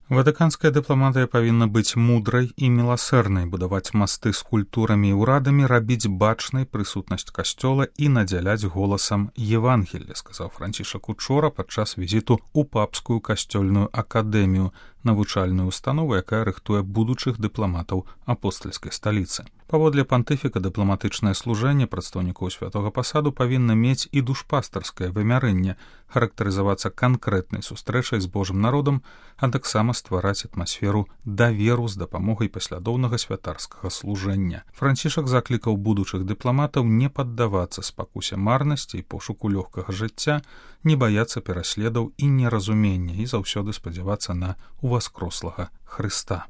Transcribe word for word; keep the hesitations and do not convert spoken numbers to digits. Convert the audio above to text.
Ватыканская дыпламатыя павінна быць мудрай і міласэрнай, будаваць масты з культурамі і ўрадамі, рабіць бачнай прысутнасць касцёла і надзяляць голасам Евангелля, сказаў Францішак учора падчас візіту ў папскую касцёльную акадэмію, навучальную установу, якая рыхтуе будучых дыпламатаў апостальскай сталіцы. Паводле пантыфіка дыпламатычнае служэнне прадстаўнікоў святога пасаду павінна мець і душпастарскае вымярэнне, характарызавацца канкрэтнай сустрэчай з Божым народам, а таксама ствараць атмасферу даверу з дапамогай паслядоўнага святарскага служэння. Францішак заклікаў будучых дыпламатаў не паддавацца спакусе марнасці і пошуку лёгкага жыцця, не баяцца пераследаў і неразумення і заўсёды спадзявацца на уваскрослага Хрыста.